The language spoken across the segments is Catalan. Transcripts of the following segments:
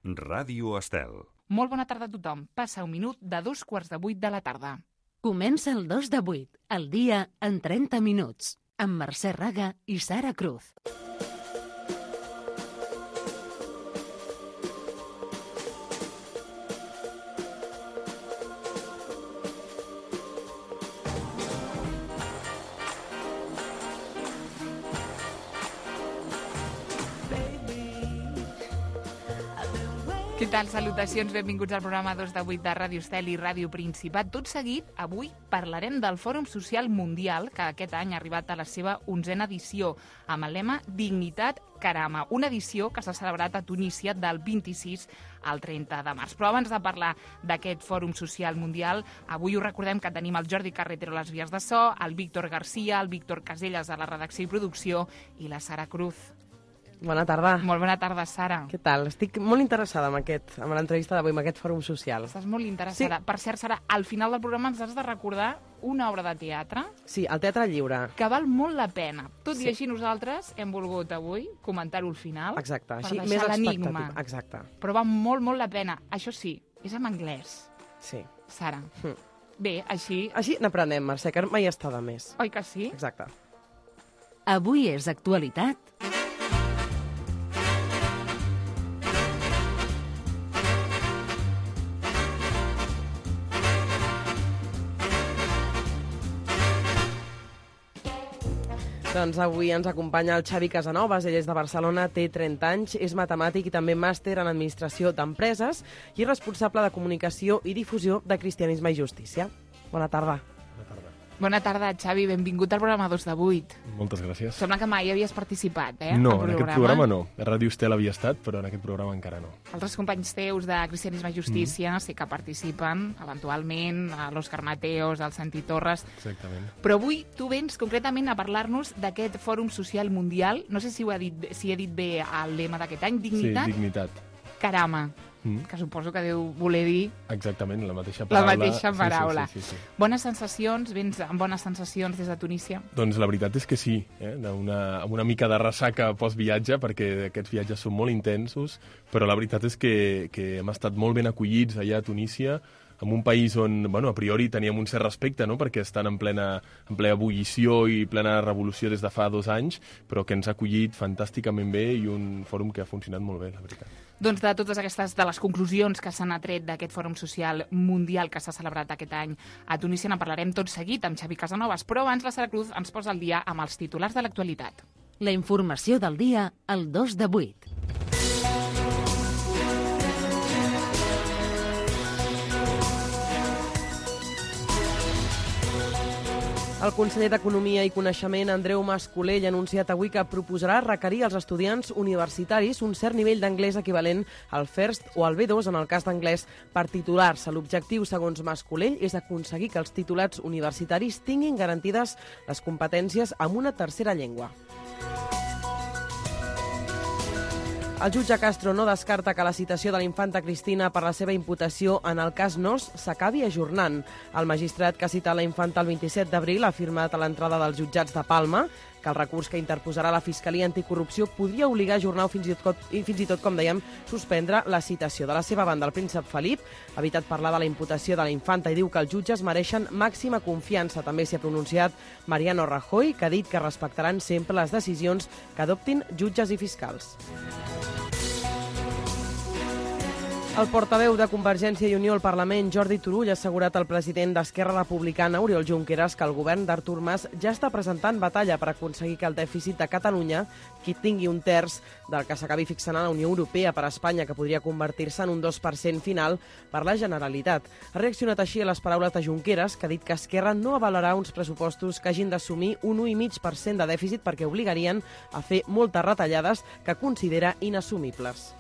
Ràdio Estel. Molt bona tarda a tothom. Passa un minut de 7:45 de la tarda. Comença el 2 de 8, el dia en 30 minuts, amb Mercè Raga i Sara Cruz. Què tal? Salutacions, benvinguts al programa 2 de 8 de Ràdio Estel i Ràdio Principat. Tot seguit, avui parlarem del Fòrum Social Mundial, que aquest any ha arribat a la seva 11a edició, amb el lema Dignitat Karama, una edició que s'ha celebrat a Tunísia del 26 al 30 de març. Però abans de parlar d'aquest Fòrum Social Mundial, avui us recordem que tenim el Jordi Carretero a les vies de so, el Víctor Garcia, el Víctor Caselles a la redacció i producció i la Sara Cruz. Bona tarda. Molt bona tarda, Sara. Què tal? Estic molt interessada amb l'entrevista d'avui, amb aquest fòrum social. Estàs molt interessada. Sí. Per cert, Sara, al final del programa ens has de recordar una obra de teatre. Sí, el Teatre Lliure. Que val molt la pena. Tot i així nosaltres hem volgut avui comentar-ho al final. Exacte, així per més l'enigma. Exacte. Però va molt, molt la pena. Això sí, és en anglès. Sí. Sara. Bé, així... Així n'aprenem, Mercè, que mai està de més. Oi que sí? Exacte. Avui és actualitat. Doncs avui ens acompanya el Xavi Casanovas, ell és de Barcelona, té 30 anys, és matemàtic i també màster en Administració d'Empreses i responsable de Comunicació i Difusió de Cristianisme i Justícia. Bona tarda. Bona tarda, Xavi. Benvingut al programa 2 de 8. Moltes gràcies. Sembla que mai havies participat, No, en aquest programa no. A Ràdio Estel havia estat, però en aquest programa encara no. Altres companys teus de Cristianisme i Justícia sí que participen, eventualment, a l'Òscar Mateos, al Santi Torres. Exactament. Però avui tu vens concretament a parlar-nos d'aquest Fòrum Social Mundial. No sé si he dit bé el lema d'aquest any. Dignitat? Sí, dignitat. Karama. Que suposo que deu voler dir... Exactament, la mateixa paraula. La mateixa paraula. Sí. Bones sensacions? Vens amb bones sensacions des de Tunísia? Doncs la veritat és que sí, amb una mica de ressaca post-viatge, perquè aquests viatges són molt intensos, però la veritat és que hem estat molt ben acollits allà a Tunísia, en un país on, a priori teníem un cert respecte, no?, perquè estan en plena ebullició i plena revolució des de fa 2 anys, però que ens ha acollit fantàsticament bé i un fòrum que ha funcionat molt bé, la veritat. Doncs de totes aquestes, de les conclusions que s'han atret d'aquest Fòrum Social Mundial que s'ha celebrat aquest any a Tunísia, en parlarem tot seguit amb Xavi Casanovas, però abans la Sara Cruz ens posa al dia amb els titulars de l'actualitat. La informació del dia al 2 de 8. El conseller d'Economia i Coneixement, Andreu Mas-Colell, ha anunciat avui que proposarà requerir als estudiants universitaris un cert nivell d'anglès equivalent al FIRST o al B2 en el cas d'anglès per titular-se. L'objectiu, segons Mas-Colell, és aconseguir que els titulats universitaris tinguin garantides les competències en una tercera llengua. El jutge Castro no descarta que la citació de la infanta Cristina per la seva imputació en el cas Nos s'acabi ajornant. El magistrat que ha citat la infanta el 27 d'abril ha afirmat a l'entrada dels jutjats de Palma que el recurs que interposarà la Fiscalia Anticorrupció podria obligar a ajornar o fins i tot, com dèiem, suspendre la citació. De la seva banda, el príncep Felip ha evitat parlar de la imputació de la infanta i diu que els jutges mereixen màxima confiança. També s'hi ha pronunciat Mariano Rajoy, que ha dit que respectaran sempre les decisions que adoptin jutges i fiscals. El portaveu de Convergència i Unió al Parlament, Jordi Turull, ha assegurat al president d'Esquerra Republicana, Oriol Junqueras, que el govern d'Artur Mas ja està presentant batalla per aconseguir que el dèficit de Catalunya tingui un terç del que s'acabi fixant a la Unió Europea per a Espanya, que podria convertir-se en un 2% final per la Generalitat. Ha reaccionat així a les paraules de Junqueras, que ha dit que Esquerra no avalarà uns pressupostos que hagin d'assumir un 1,5% de dèficit perquè obligarien a fer moltes retallades que considera inassumibles.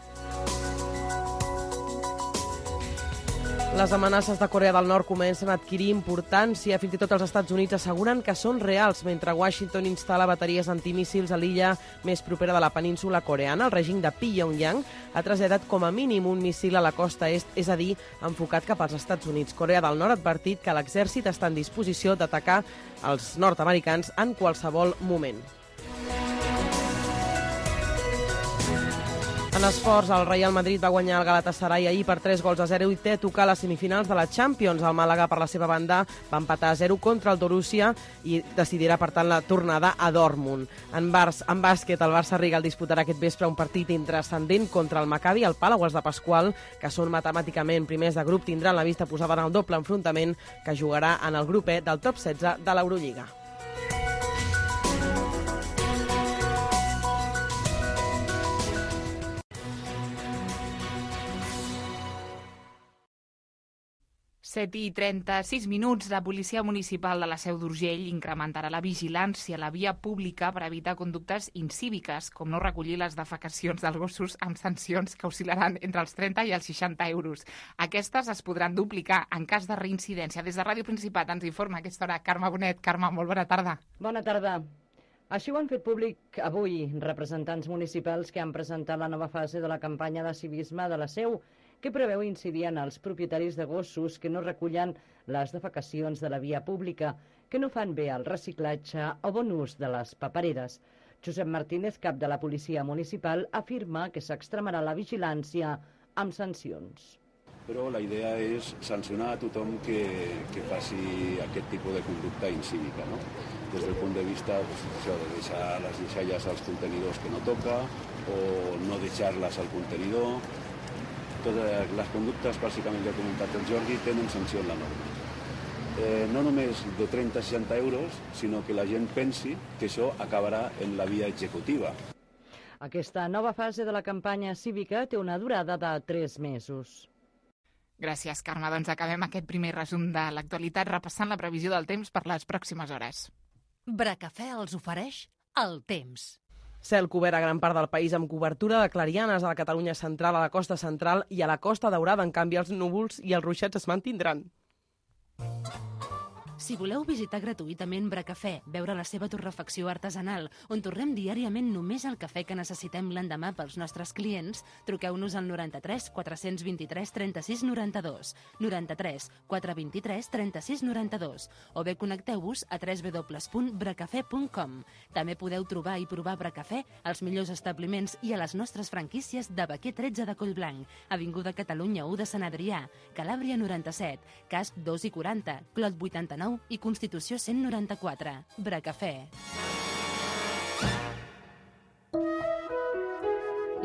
Les amenaces de Corea del Nord comencen a adquirir importància. Fins i tot els Estats Units asseguren que són reals, mentre Washington instal·la bateries antimíssils a l'illa més propera de la península coreana. El règim de Pyongyang ha traslladat com a mínim un míssil a la costa est, és a dir, enfocat cap als Estats Units. Corea del Nord ha advertit que l'exèrcit està en disposició d'atacar els nord-americans en qualsevol moment. En esports, el Real Madrid va guanyar el Galatasaray ahir per 3-0 i té a tocar les semifinals de la Champions. El Màlaga, per la seva banda, va empatar a 0 contra el Borussia i decidirà, per tant, la tornada a Dortmund. En bàsquet, el Barça Riga disputarà aquest vespre un partit intrascendent contra el Maccabi al Palau de Pasqual, que són matemàticament primers de grup, tindran la vista posada en el doble enfrontament que jugarà en el grup E del top 16 de l'Eurolliga. Set i 36 minuts. La Policia Municipal de la Seu d'Urgell incrementarà la vigilància a la via pública per evitar conductes incíviques, com no recollir les defecacions dels gossos, amb sancions que oscil·laran entre els 30 i els 60 euros. Aquestes es podran duplicar en cas de reincidència. Des de Ràdio Principat ens informa a aquesta hora Carme Bonet. Carme, molt bona tarda. Bona tarda. Així ho han fet públic avui representants municipals que han presentat la nova fase de la campanya de civisme de la Seu, que preveu incidir en els propietaris de gossos que no recullen les defecacions de la via pública, que no fan bé el reciclatge o bon ús de les papereres. Josep Martínez, cap de la Policia Municipal, afirma que s'extremarà la vigilància amb sancions. Però la idea és sancionar a tothom que faci aquest tipus de conducta incívica, no? Des del punt de vista de deixar les deixalles als contenidors que no toca o no deixar-les al contenidor. Totes les conductes, bàsicament, que ha comentat el Jordi, tenen sanció en la norma. No només de 30 a 60 euros, sinó que la gent pensi que això acabarà en la via executiva. Aquesta nova fase de la campanya cívica té una durada de 3 mesos. Gràcies, Carme. Doncs acabem aquest primer resum de l'actualitat repassant la previsió del temps per les pròximes hores. Bracafè els ofereix el temps. Cel cobert a gran part del país amb cobertura de clarianes a la Catalunya central, a la costa central i a la costa daurada. En canvi, els núvols i els ruixats es mantindran. Si voleu visitar gratuïtament Bracafè, veure la seva torrefacció artesanal, on torrem diàriament només el cafè que necessitem l'endemà pels nostres clients, truqueu-nos al 93 423 36 92, 93 423 36 92, o bé connecteu-vos a www.bracafè.com. També podeu trobar i provar Bracafè als millors establiments i a les nostres franquícies de Baquer 13 de Collblanc, Avinguda Catalunya 1 de Sant Adrià, Calàbria 97, Casp 2 i 40, Clot 89 i Constitució 194. Bracafè.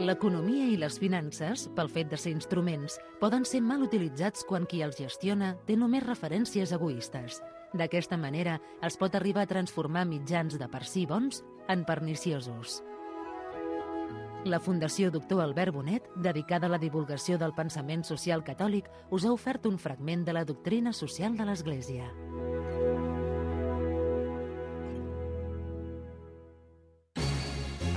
L'economia i les finances, pel fet de ser instruments, poden ser mal utilitzats quan qui els gestiona té només referències egoistes. D'aquesta manera, es pot arribar a transformar mitjans de per si bons en perniciosos. La Fundació Doctor Albert Bonet, dedicada a la divulgació del pensament social catòlic, us ha ofert un fragment de la doctrina social de l'Església.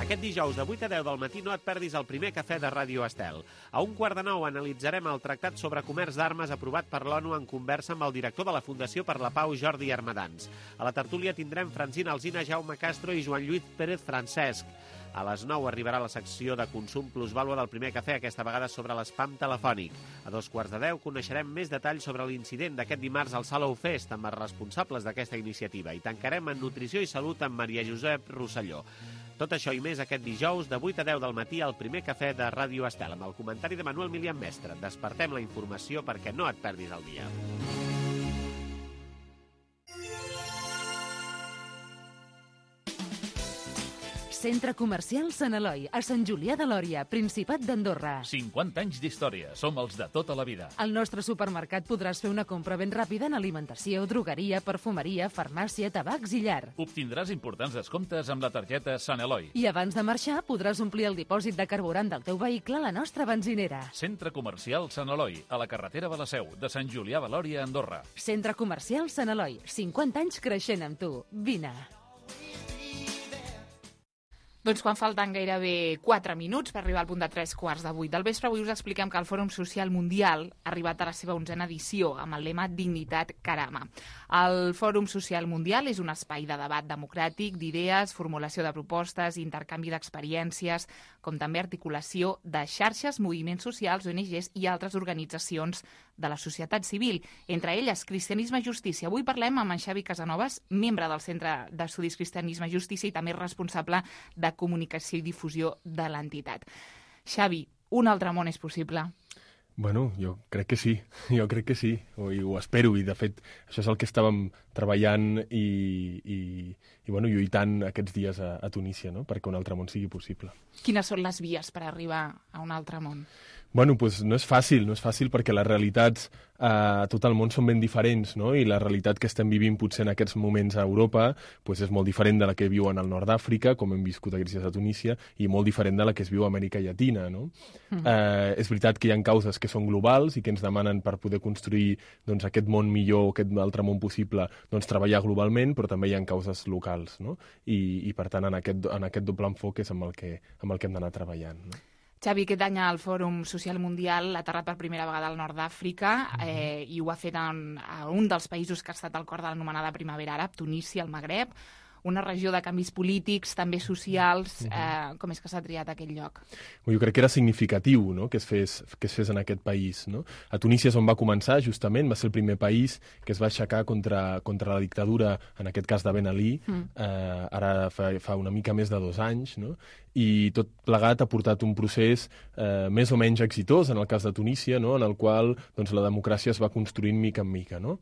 Aquest dijous de 8 a 10 del matí no et perdis el primer cafè de Ràdio Estel. A 1:15 analitzarem el Tractat sobre Comerç d'Armes aprovat per l'ONU en conversa amb el director de la Fundació per la Pau, Jordi Armadans. A la tertúlia tindrem Francina Alsina, Jaume Castro i Joan Lluís Pérez Francesc. A les 9 arribarà la secció de consum plusvàlua del primer cafè, aquesta vegada sobre l'espam telefònic. A 9:15 coneixerem més detalls sobre l'incident d'aquest dimarts al Salou Fest amb els responsables d'aquesta iniciativa i tancarem en Nutrició i Salut amb Maria Josep Rosselló. Tot això i més aquest dijous de 8 a 10 del matí al primer cafè de Ràdio Estel amb el comentari de Manuel Milian Mestre. Despertem la informació perquè no et perdis el dia. Centre Comercial Sant Eloi, a Sant Julià de Lòria, Principat d'Andorra. 50 anys d'història. Som els de tota la vida. Al nostre supermercat podràs fer una compra ben ràpida en alimentació, drogueria, perfumeria, farmàcia, tabacs i llar. Obtindràs importants descomptes amb la targeta Sant Eloi. I abans de marxar podràs omplir el dipòsit de carburant del teu vehicle a la nostra benzinera. Centre Comercial Sant Eloi, a la carretera de la Seu, de Sant Julià de Lòria, Andorra. Centre Comercial Sant Eloi, 50 anys creixent amb tu. Vine. Doncs quan falten gairebé 4 minuts per arribar al punt de 3:15 del vespre, avui us expliquem que el Fòrum Social Mundial ha arribat a la seva 11a edició amb el lema Dignitat Karama. El Fòrum Social Mundial és un espai de debat democràtic, d'idees, formulació de propostes, intercanvi d'experiències, com també articulació de xarxes, moviments socials, ONGs i altres organitzacions de la societat civil, entre elles Cristianisme i Justícia. Avui parlem amb en Xavi Casanovas, membre del Centre d'Estudis Cristianisme i Justícia i també responsable de comunicació i difusió de l'entitat. Xavi, un altre món és possible? Bueno, jo crec que sí, ho espero, i de fet això és el que estàvem treballant i lluitant aquests dies a Tunísia, no? Perquè un altre món sigui possible. Quines són les vies per arribar a un altre món? Bueno, doncs no és fàcil perquè les realitats a tot el món són ben diferents, no? I la realitat que estem vivint potser en aquests moments a Europa doncs és molt diferent de la que viuen al nord d'Àfrica, com hem viscut aquests dies a Tunísia, i molt diferent de la que es viu a Amèrica Llatina, no? És veritat que hi ha causes que són globals i que ens demanen per poder construir doncs, aquest món millor, aquest altre món possible, doncs treballar globalment, però també hi ha causes locals, no? I per tant, en aquest doble enfoc és amb el que hem d'anar treballant, no? Xavi, aquest any el Fòrum Social Mundial ha aterrat per primera vegada al nord d'Àfrica i ho ha fet a un dels països que ha estat al cor de l'anomenada Primavera Àrab, Tunísia, el Magreb, una regió de canvis polítics, també socials. Com és que s'ha triat aquest lloc? Jo crec que era significatiu, no?, que es fes en aquest país, no? A Tunísia és on va començar, justament, va ser el primer país que es va aixecar contra la dictadura, en aquest cas de Ben Ali, ara fa una mica més de 2 anys, no? I tot plegat ha portat un procés més o menys exitós, en el cas de Tunísia, no?, en el qual doncs, la democràcia es va construint mica en mica, no?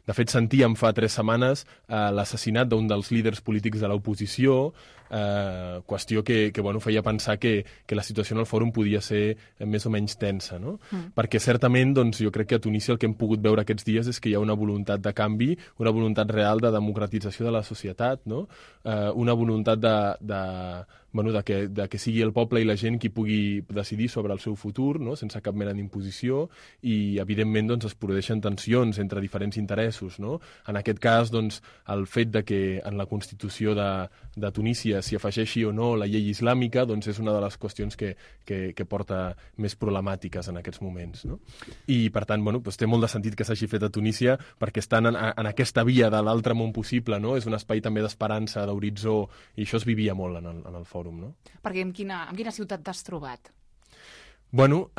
De fet, sentíem fa 3 setmanes l'assassinat d'un dels líders polítics de l'oposició, qüestió que feia pensar que la situació en el fòrum podia ser més o menys tensa, no? Perquè certament doncs, jo crec que a Tunísia el que hem pogut veure aquests dies és que hi ha una voluntat de canvi, una voluntat real de democratització de la societat, no? Una voluntat de que sigui el poble i la gent qui pugui decidir sobre el seu futur, no?, sense cap mena d'imposició, i evidentment doncs, es produeixen tensions entre diferents interessos, no? En aquest cas, doncs, el fet de que en la Constitució de Tunísia s'hi afegeixi o no la llei islàmica doncs és una de les qüestions que porta més problemàtiques en aquests moments, no? I per tant, doncs, té molt de sentit que s'hagi fet a Tunísia perquè estan en aquesta via de l'altre món possible, no? És un espai també d'esperança, d'horitzó, i això es vivia molt en el fòrum, no? Perquè en quina ciutat t'has trobat? Bueno,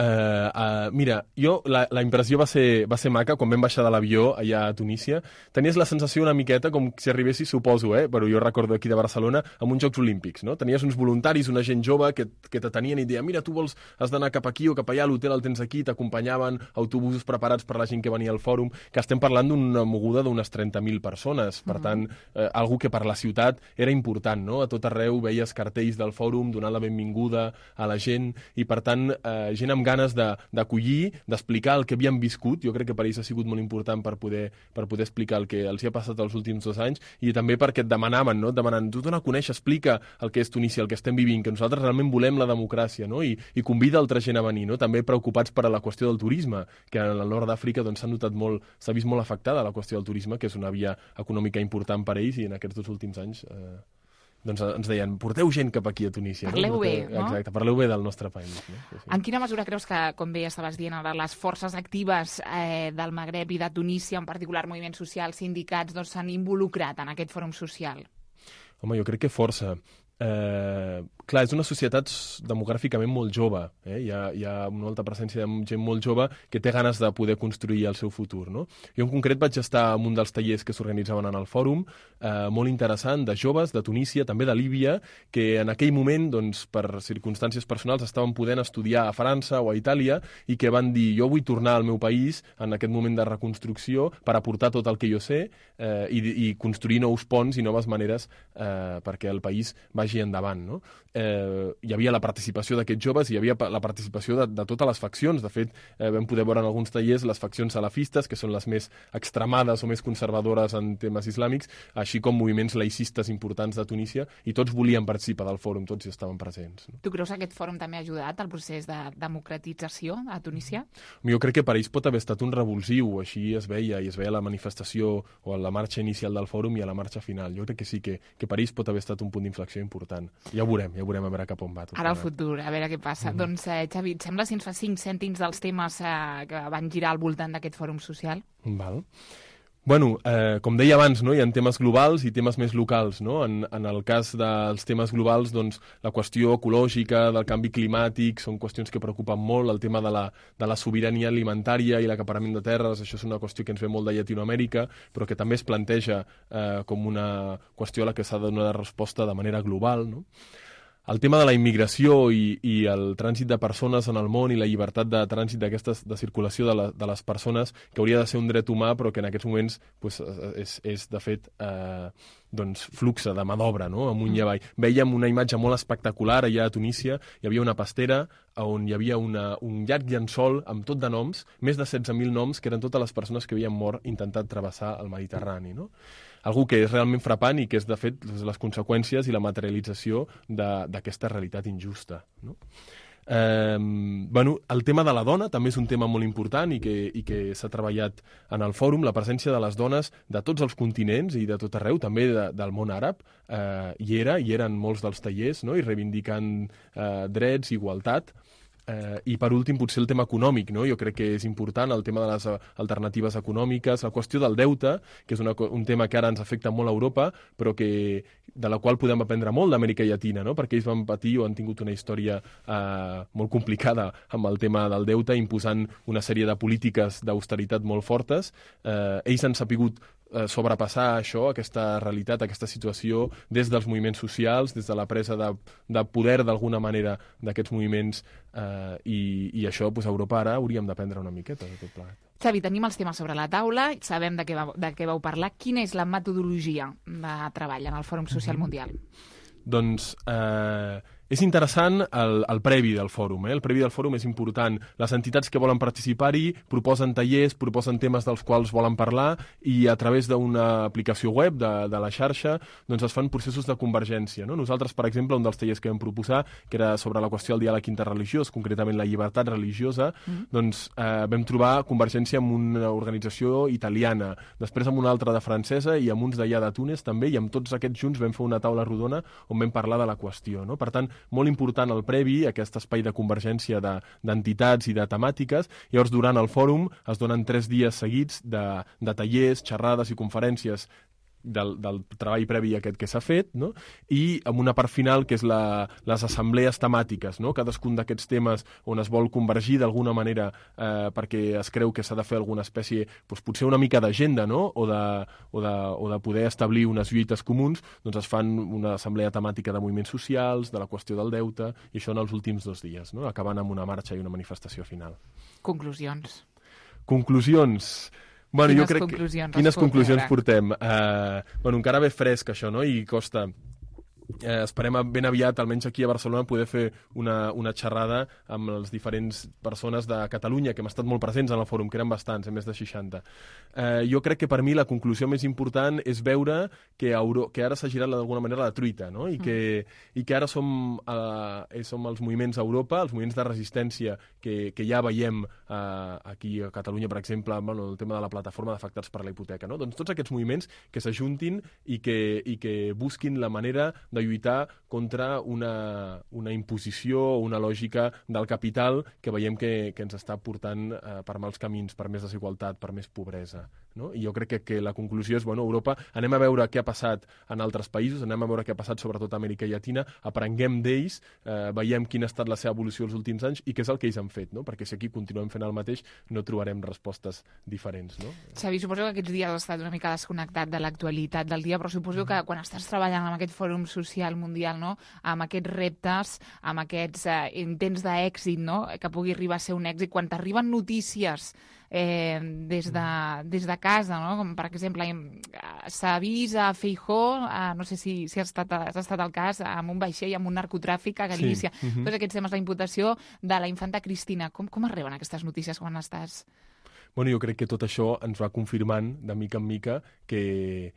mira, jo la impressió va ser maca quan vam baixar de l'avió allà a Tunísia. Tenies la sensació una miqueta com si arribessis, suposo, però jo recordo aquí de Barcelona, amb uns Jocs Olímpics, no? Tenies uns voluntaris, una gent jove que t'atenien i et deien, mira, tu has d'anar cap aquí o cap allà, l'hotel el tens aquí, t'acompanyaven autobusos preparats per la gent que venia al fòrum, que estem parlant d'una moguda d'unes 30.000 persones. Per tant, algo que per la ciutat era important, no? A tot arreu veies cartells del fòrum donant la benvinguda a la gent i, per tant, gent amb ganes d'acollir, d'explicar el que havien viscut. Jo crec que per ells ha sigut molt important per poder explicar el que els hi ha passat els últims 2 anys, i també perquè et demanaven, no? Demanant, tu dona a conèixer, explica el que és Tunísia, el que estem vivint, que nosaltres realment volem la democràcia, no? I convida altra gent a venir, no? També preocupats per la qüestió del turisme, que en el nord d'Àfrica doncs, s'ha vist molt afectada la qüestió del turisme, que és una via econòmica important per ells, i en aquests 2 últims anys doncs ens deien, porteu gent cap aquí a Tunísia. Parleu bé, no? Exacte, parleu bé del nostre país. No? Sí. En quina mesura creus que, com bé estaves dient ara, les forces actives del Magreb i de Tunísia, en particular moviments socials, sindicats, doncs s'han involucrat en aquest fòrum social? Home, jo crec que força. Clar, és una societat demogràficament molt jove, hi ha una alta presència de gent molt jove que té ganes de poder construir el seu futur, no? Jo en concret vaig estar en un dels tallers que s'organitzaven en el fòrum, molt interessant, de joves de Tunísia, també de Líbia, que en aquell moment, doncs, per circumstàncies personals, estaven podent estudiar a França o a Itàlia, i que van dir, jo vull tornar al meu país en aquest moment de reconstrucció per aportar tot el que jo sé i construir nous ponts i noves maneres perquè el país vagi endavant, no? Hi havia la participació d'aquests joves, hi havia la participació de totes les faccions. De fet, vam poder veure en alguns tallers les faccions salafistes, que són les més extremades o més conservadores en temes islàmics, així com moviments laïcistes importants de Tunísia, i tots volien participar del fòrum, tots hi estaven presents. Tu creus que aquest fòrum també ha ajudat al procés de democratització a Tunísia? Jo crec que per ells pot haver estat un revulsiu, així es veia, i es veia la manifestació o la marxa inicial del fòrum i a la marxa final. Jo crec que sí, que per ells pot haver estat un punt d'inflexió important. Ja ho veurem a veure cap on va. Ara al futur, a veure què passa. Doncs, Xavi, et sembla si ens fa 5 cèntims dels temes que van girar al voltant d'aquest fòrum social? Val. Bueno, com deia abans, no? Hi ha temes globals i temes més locals, no? En el cas dels temes globals, doncs, la qüestió ecològica, del canvi climàtic, són qüestions que preocupen molt. El tema de la sobirania alimentària i l'acaparament de terres, això és una qüestió que ens ve molt de Llatinoamèrica, però que també es planteja com una qüestió a la que s'ha de donar resposta de manera global, no? el tema de la immigració i el trànsit de persones en el món i la llibertat de trànsit de circulació de les persones, que hauria de ser un dret humà, però que en aquests moments pues, és de fet, fluxe de mà d'obra, no? Amunt i avall. Vèiem una imatge molt espectacular allà a Tunísia, hi havia una pastera on hi havia un llarg llençol amb tot de noms, més de 16.000 noms, que eren totes les persones que havien mort intentant travessar el Mediterrani, no? Algú que és realment frapant i que és, de fet, les conseqüències i la materialització d'aquesta realitat injusta, no? El tema de la dona també és un tema molt important i que s'ha treballat en el fòrum. La presència de les dones de tots els continents i de tot arreu, també del món àrab, hi eren molts dels tallers, no? I reivindicant drets, igualtat. I per últim potser el tema econòmic, no? Jo crec que és important el tema de les alternatives econòmiques, la qüestió del deute, que és un tema que ara ens afecta molt a Europa, però de la qual podem aprendre molt d'Amèrica Llatina, no? Perquè ells van patir o han tingut una història molt complicada amb el tema del deute, imposant una sèrie de polítiques d'austeritat molt fortes. Ells han sapigut sobrepassar això, aquesta realitat, aquesta situació, des dels moviments socials, des de la presa de poder d'alguna manera d'aquests moviments, i això a Europa ara hauríem d'aprendre una miqueta de tot plegat. Xavi, tenim els temes sobre la taula, sabem de què vau parlar. Quina és la metodologia de treball en el Fòrum Social Mundial? Doncs és interessant el previ del fòrum. El previ del fòrum és important. Les entitats que volen participar-hi proposen tallers, proposen temes dels quals volen parlar i a través d'una aplicació web de la xarxa doncs es fan processos de convergència. No? Nosaltres, per exemple, un dels tallers que vam proposar, que era sobre la qüestió del diàleg interreligiós, concretament la llibertat religiosa, doncs vam trobar convergència amb una organització italiana, després amb una altra de francesa i amb uns d'allà de Túnez també, i amb tots aquests junts vam fer una taula rodona on vam parlar de la qüestió. No? Per tant, molt important el previ, aquest espai de convergència d'entitats i de temàtiques. Llavors, durant el fòrum es donen 3 dies seguits de tallers, xerrades i conferències del treball previ aquest que s'ha fet, no? I amb una part final que és les assemblees temàtiques, no? Cadascun d'aquests temes on es vol convergir d'alguna manera perquè es creu que s'ha de fer alguna espècie, doncs potser una mica d'agenda, no? O de poder establir unes lluites comuns, doncs es fan una assemblea temàtica de moviments socials, de la qüestió del deute, i això en els últims 2 dies, no? Acabant amb una marxa i una manifestació final. Conclusions. Bueno, Quines jo crec quines conclusions portem? Encara ve fresc això, no? I costa. Esperem ben aviat, almenys aquí a Barcelona, poder fer una xerrada amb les diferents persones de Catalunya que hem estat molt presents en el fòrum, que eren bastants, més de 60. Jo crec que per mi la conclusió més important és veure que ara s'ha girat d'alguna manera la truita, no? I que ara som els moviments a Europa, els moviments de resistència que ja veiem aquí a Catalunya, per exemple, el tema de la plataforma d'afectats per la hipoteca, no? Doncs tots aquests moviments que s'ajuntin i que busquin la manera de lluitar contra una imposició o una lògica del capital que veiem que ens està portant per mals camins, per més desigualtat, per més pobresa. No? I jo crec que la conclusió és, Europa, anem a veure què ha passat en altres països, anem a veure què ha passat sobretot a Amèrica Llatina, aprenguem d'ells, veiem quina ha estat la seva evolució els últims anys i què és el que ells han fet, no? Perquè si aquí continuem fent el mateix no trobarem respostes diferents. No? Xavi, suposo que aquests dies has estat una mica desconnectat de l'actualitat del dia, però suposo que quan estàs treballant amb aquest fòrum social mundial, no? Amb aquests reptes, amb aquests intents d'èxit, no? Que pugui arribar a ser un èxit, quan t'arriben notícies des de casa, no? Com per exemple s'ha vist a Feijóo, no sé si ha estat el cas, amb un vaixell, amb un narcotràfic a Galícia. Sí. Tots aquests temes, la imputació de la infanta Cristina. Com arriben aquestes notícies quan estàs? Jo crec que tot això ens va confirmant de mica en mica que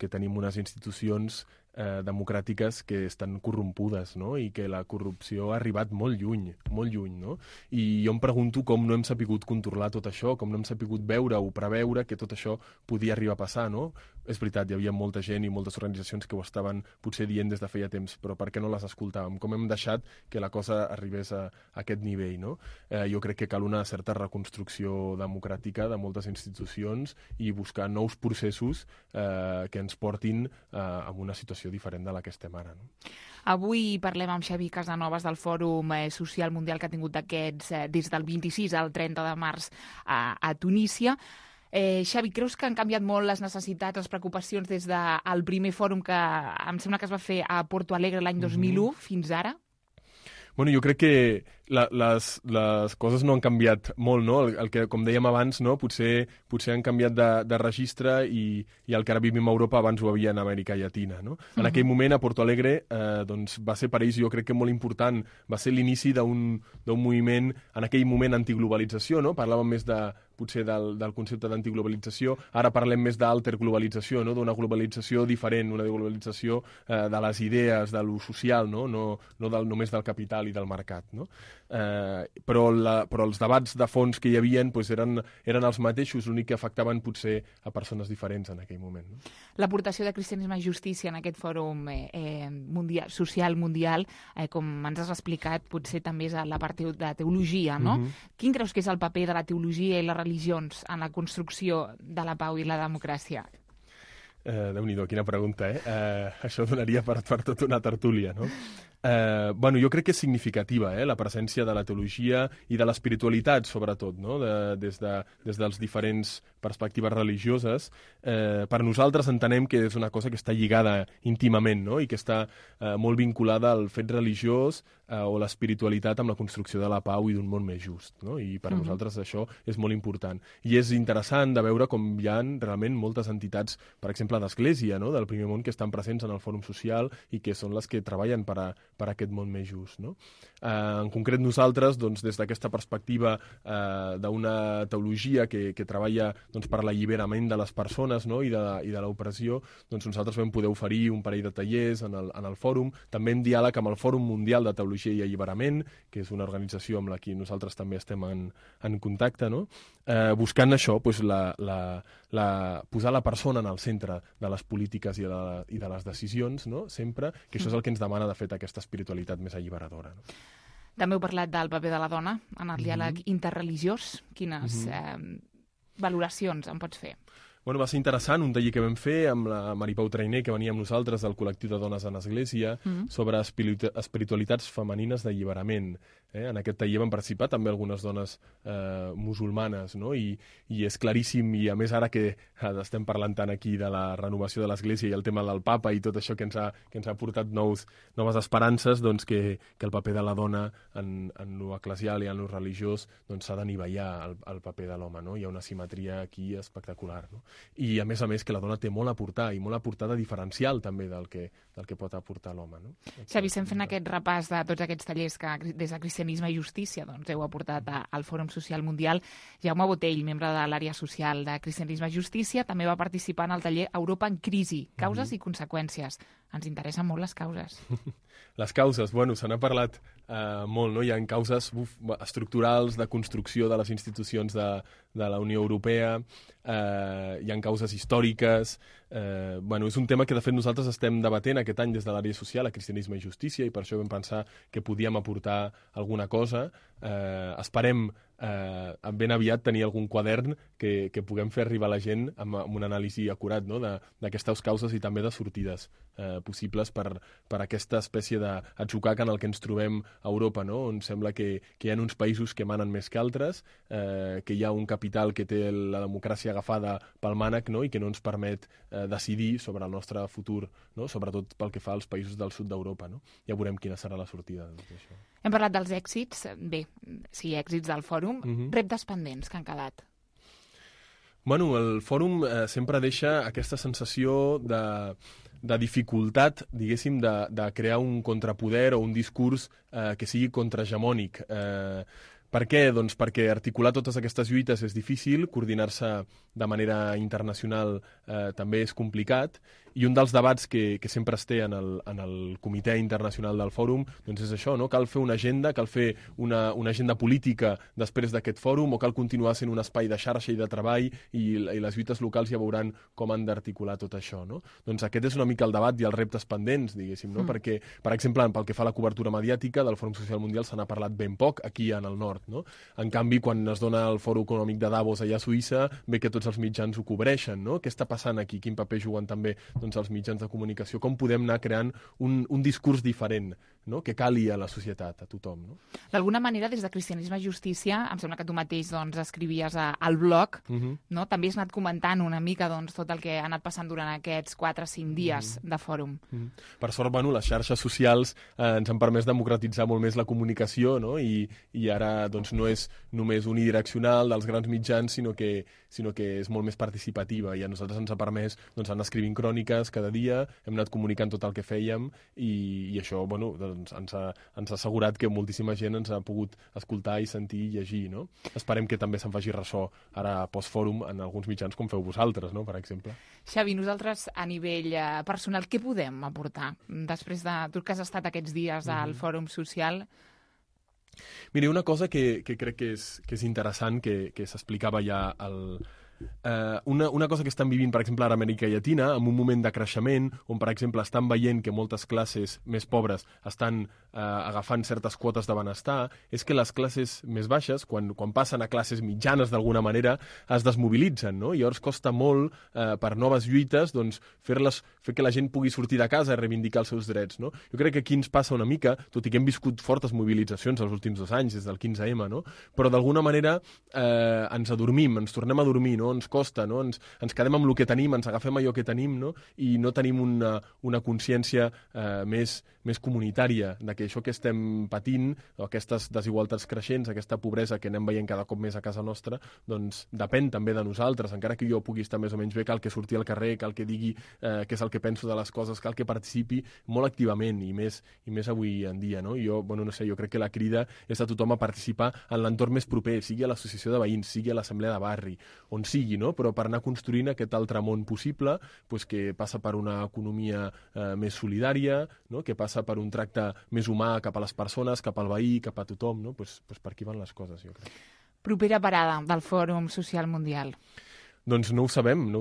tenim unes institucions democràtiques que estan corrompudes, no? I que la corrupció ha arribat molt lluny, no? I jo em pregunto com no hem sapigut controlar tot això, com no hem sapigut veure o preveure que tot això podia arribar a passar, no? És veritat, hi havia molta gent i moltes organitzacions que ho estaven potser dient des de feia temps, però per què no les escoltàvem? Com hem deixat que la cosa arribés a aquest nivell, no? Jo crec que cal una certa reconstrucció democràtica de moltes institucions i buscar nous processos que ens portin a una situació diferent de la que estem ara. No? Avui parlem amb Xavi Casanovas del Fòrum Social Mundial que ha tingut des del 26 al 30 de març a Tunísia. Xavi, creus que han canviat molt les necessitats, les preocupacions des del primer fòrum que em sembla que es va fer a Porto Alegre l'any 2001 fins ara? Bueno, jo crec que les coses no han canviat molt, no? El que, com dèiem abans, no? Potser han canviat de registre i el que ara vivim a Europa abans ho havia en Amèrica Llatina, no? En aquell moment, a Porto Alegre, doncs, va ser per ells, jo crec que molt important, va ser l'inici d'un moviment, en aquell moment, antiglobalització, no? Parlàvem més potser del concepte d'antiglobalització, ara parlem més d'alterglobalització, no? D'una globalització diferent, una globalització de les idees, de lo social, no només del capital i del mercat, no? Però els debats de fons que hi havia doncs, eren els mateixos, l'únic que afectaven potser a persones diferents en aquell moment. No? L'aportació de Cristianisme i Justícia en aquest fòrum social mundial, com ens has explicat, potser també és la part de teologia, no? Quin creus que és el paper de la teologia i les religions en la construcció de la pau i la democràcia? Déu-n'hi-do, quina pregunta, això donaria per tota una tertúlia, no? Bueno, jo crec que és significativa la presència de la teologia i de l'espiritualitat, sobretot, no? Des dels diferents perspectives religioses. Per nosaltres entenem que és una cosa que està lligada íntimament, no? I que està molt vinculada al fet religiós o l'espiritualitat amb la construcció de la pau i d'un món més just, no? I per nosaltres això és molt important. I és interessant de veure com hi ha realment moltes entitats, per exemple, d'Església, no? Del primer món, que estan presents en el Fòrum Social i que són les que treballen per aquest món més just, no? En concret nosaltres, doncs, des d'aquesta perspectiva d'una teologia que treballa doncs, per l'alliberament de les persones, no? i de l'opressió, doncs nosaltres vam poder oferir un parell de tallers en el fòrum, també en diàleg amb el Fòrum Mundial de Teologia i Alliberament, que és una organització amb la que nosaltres també estem en contacte, no? Buscant això, doncs, posar la persona en el centre de les polítiques i de les decisions, no? Sempre, que això és el que ens demana, de fet, aquesta espiritualitat més alliberadora. No? També heu parlat del paper de la dona en el diàleg interreligiós. Quines valoracions en pots fer? Bueno, va ser interessant un taller que vam fer amb la Maripau Trainer, que venia amb nosaltres del col·lectiu de dones en Església, sobre espiritualitats femenines d'alliberament. En aquest taller van participar també algunes dones musulmanes, no? I és claríssim, i a més ara que estem parlant tant aquí de la renovació de l'Església i el tema del papa i tot això que ens ha portat noves esperances, doncs que el paper de la dona en lo eclesial i en lo religiós s'ha d'anivellar el paper de l'home, no? Hi ha una simetria aquí espectacular, no? I a més que la dona té molt a aportar, i molt a aportar de diferencial també del que pot aportar l'home, no? Xavi, estem fent aquest repàs de tots aquests tallers que des de Cristianisme i Justícia heu aportat al Fòrum Social Mundial. Jaume Botell, membre de l'àrea social de Cristianisme i Justícia, també va participar en el taller Europa en crisi, causes i conseqüències. Ens interessen molt les causes. Les causes, bueno, se n'ha parlat molt, no? Hi ha causes estructurals de construcció de les institucions de la Unió Europea, hi ha causes històriques. Bueno, és un tema que, de fet, nosaltres estem debatent aquest any des de l'àrea social a Cristianisme i Justícia, i per això vam pensar que podíem aportar alguna cosa. Esperem ben aviat tenir algun quadern que puguem fer arribar a la gent amb un anàlisi acurat, no? D'aquestes causes i també de sortides possibles per aquesta espècie d'atzucac en el que ens trobem a Europa, no? On sembla que hi ha uns països que manen més que altres, que hi ha un capital que té la democràcia agafada pel mànec, no? I que no ens permet decidir sobre el nostre futur, no? Sobretot pel que fa als països del sud d'Europa, no? Ja veurem quina serà la sortida d'això. Hem parlat dels èxits, bé, sí, èxits del fòrum, reptes pendents que han quedat. Bueno, el fòrum sempre deixa aquesta sensació de dificultat, diguéssim, de crear un contrapoder o un discurs que sigui contrahegemònic. Per què? Doncs perquè articular totes aquestes lluites és difícil, coordinar-se de manera internacional també és complicat, i un dels debats que sempre es té en el comitè internacional del fòrum doncs és això, no? Cal fer una agenda, cal fer una agenda política després d'aquest fòrum, o cal continuar sent un espai de xarxa i de treball, i les lluites locals ja veuran com han d'articular tot això, no? Doncs aquest és una mica el debat i els reptes pendents, diguéssim, no? Perquè, per exemple, pel que fa a la cobertura mediàtica del Fòrum Social Mundial se n'ha parlat ben poc aquí en el nord, no? En canvi, quan es dona el Fòrum Econòmic de Davos allà a Suïssa, ve que tots els mitjans ho cobreixen, no? Què està passant aquí? Quin paper juguen també els mitjans de comunicació? Com podem anar creant un discurs diferent no? Que cali a la societat, a tothom. No? D'alguna manera, des de Cristianisme i Justícia, em sembla que tu mateix doncs, escrivies al blog, no? També has anat comentant una mica doncs, tot el que ha anat passant durant aquests 4 o 5 dies de fòrum. Per sort, les xarxes socials ens han permès democratitzar molt més la comunicació, no? I ara doncs, no és només unidireccional dels grans mitjans, sinó que és molt més participativa, i a nosaltres ens ha permès doncs, anar escrivint cròniques cada dia, hem anat comunicant tot el que fèiem, i això doncs, ens ha assegurat que moltíssima gent ens ha pogut escoltar i sentir i llegir. No? Esperem que també se'n faci ressò ara post-fòrum en alguns mitjans com feu vosaltres, no? Per exemple. Xavi, nosaltres a nivell personal, què podem aportar després de tu que has estat aquests dies al Fòrum Social? Mira, una cosa que crec que és interessant, que s'explicava ja una cosa que estan vivint, per exemple, ara a Amèrica Llatina, en un moment de creixement, on, per exemple, estan veient que moltes classes més pobres estan agafant certes quotes de benestar, és que les classes més baixes, quan passen a classes mitjanes d'alguna manera, es desmobilitzen, no? I llavors costa molt, per noves lluites, doncs, fer que la gent pugui sortir de casa i reivindicar els seus drets, no? Jo crec que aquí ens passa una mica, tot i que hem viscut fortes mobilitzacions els últims 2 anys, des del 15M, no? Però d'alguna manera ens adormim, ens tornem a dormir, no? Ens costa, no? Ens quedem amb el que tenim, ens agafem allò que tenim, no? I no tenim una consciència més comunitària de que això que estem patint, o aquestes desigualtats creixents, aquesta pobresa que anem veient cada cop més a casa nostra, doncs depèn també de nosaltres. Encara que jo pugui estar més o menys bé, cal que surti al carrer, cal que digui què és el que penso de les coses, cal que participi molt activament, i més avui en dia, no? I jo, no sé, jo crec que la crida és a tothom a participar en l'entorn més proper, sigui a l'associació de veïns, sigui a l'assemblea de barri, on sigui, no? Però per anar construint aquest altre món possible, doncs, que passa per una economia més solidària, no? Que passa per un tracte més humà cap a les persones, cap al veí, cap a tothom, no? Pues per aquí van les coses, jo crec. Propera parada del Fòrum Social Mundial. Doncs no ho sabem.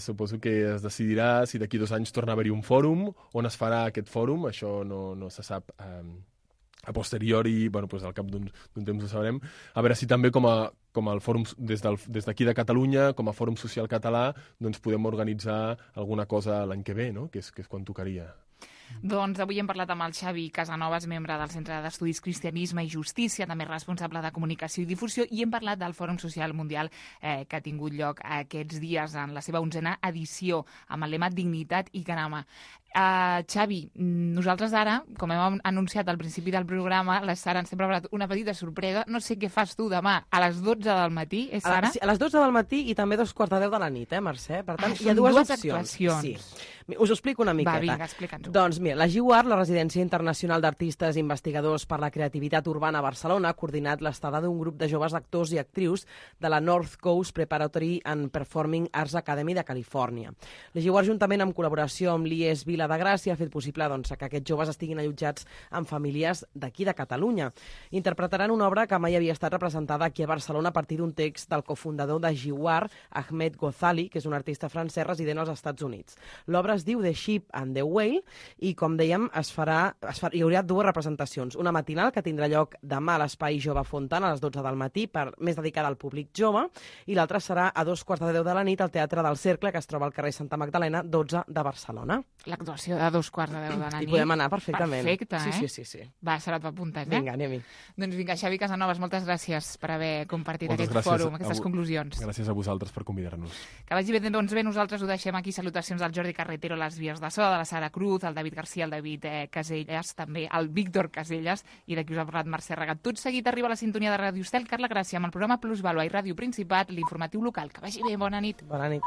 Suposo que es decidirà si d'aquí 2 anys torna a haver-hi un fòrum, on es farà aquest fòrum, això no se sap a posteriori, doncs al cap d'un temps ho sabrem. A veure si també com el fòrum des d'aquí de Catalunya, com a Fòrum Social Català, doncs podem organitzar alguna cosa l'any que ve, no? Que és quan tocaria. Doncs avui hem parlat amb el Xavi Casanovas, membre del Centre d'Estudis Cristianisme i Justícia, també responsable de comunicació i difusió, i hem parlat del Fòrum Social Mundial que ha tingut lloc aquests dies en la seva 11a edició, amb el lema Dignitat i Canama. Xavi, nosaltres ara, com hem anunciat al principi del programa, la Sara ens ha preparat una petita sorpresa. No sé què fas tu demà a les 12 del matí, és Sara? A les 12 del matí i també 2:15 de la nit, Mercè? Per tant, hi ha dues opcions. actuacions. Sí. Us ho explico una miqueta. Va, vinga, explica'ns-ho. Doncs mira, la GIUAR, la Residència Internacional d'Artistes i Investigadors per la Creativitat Urbana a Barcelona, ha coordinat l'estada d'un grup de joves actors i actrius de la North Coast Preparatory and Performing Arts Academy de Califòrnia. La GIUAR, juntament amb col·laboració amb l'IES Vila de Gràcia, ha fet possible que aquests joves estiguin allotjats en famílies d'aquí de Catalunya. Interpretaran una obra que mai havia estat representada aquí a Barcelona a partir d'un text del cofundador de GIUAR, Ahmed Ghazali, que és un artista francès resident als Estats Units. L'obra es diu The Sheep and the Whale i, com dèiem, hi haurà 2 representacions. Una matinal, que tindrà lloc demà a l'Espai Jove Fontana a les 12 del matí, més dedicada al públic jove, i l'altra serà a 2:15 de la nit al Teatre del Cercle, que es troba al carrer Santa Magdalena, 12 de Barcelona. L'actuació de 2:15 de la nit. Hi podem anar perfectament. Perfecte, Sí. Va, Sara, t'apuntes, Vinga, anem-hi. Doncs vinga, Xavi Casanovas, moltes gràcies per haver compartit aquest fòrum, aquestes conclusions. Gràcies a vosaltres per convidar-nos. Que vagi bé, doncs bé, nosaltres ho deixem aquí. Salutacions al Jordi Carretero, les vies de so, de la Sara Cruz, al David Garcia, al David Casellas, també al Víctor Casellas, i d'aquí us ha parlat Mercè Regat. Tot seguit arriba a la sintonia de Ràdio Estel, Carla Gràcia, amb el programa Plus Vàlua i Ràdio Principat, l'informatiu local. Que vagi bé, bona nit. Bona nit.